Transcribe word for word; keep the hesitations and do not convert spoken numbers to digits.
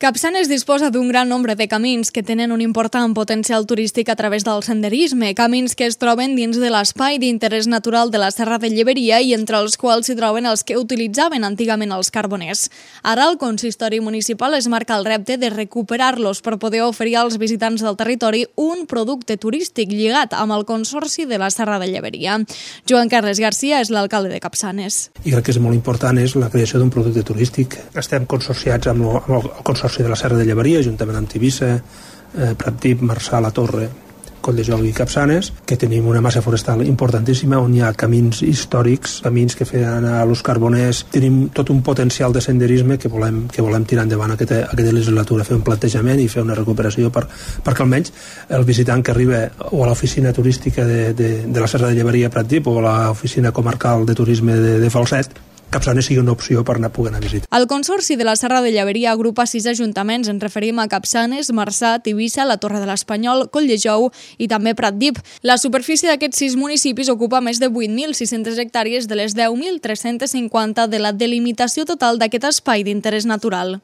Capçanes disposa d'un gran nombre de camins que tenen un important potencial turístic a través del senderisme, camins que es troben dins de l'espai d'interès natural de la Serra de Lleberia i entre els quals s'hi troben els que utilitzaven antigament els carboners. Ara el consistori municipal es marca el repte de recuperar-los per poder oferir als visitants del territori un producte turístic lligat amb el Consorci de la Serra de Lleberia. Joan Carles Garcia és l'alcalde de Capçanes. I crec que és molt important és la creació d'un producte turístic. Estem consorciats amb el, amb el Consorci de la Serra de Lleberia, juntament amb Tivissa, eh, Pratdip, Marçà, La Torre, Colldejou i Capçanes, que tenim una massa forestal importantíssima on hi ha camins històrics, camins que feien a los carboners. Tenim tot un potencial de senderisme que volem, que volem tirar endavant aquesta, aquesta legislatura, fer un plantejament i fer una recuperació per, perquè almenys el visitant que arriba o a l'oficina turística de, de, de la Serra de Lleberia Pratdip o a l'oficina comarcal de turisme de, de Falset, Capçanes sigui una opció per anar poder anar a visitar. El Consorci de la Serra de Lleberia agrupa sis ajuntaments, ens referim a Capçanes, Marçà, Tivissa, la Torre de l'Espanyol, Colldejou i també Pratdip. La superfície d'aquests sis municipis ocupa més de vuit mil sis-centes hectàrees de les deu mil tres-cents cinquanta de la delimitació total d'aquest espai d'interès natural.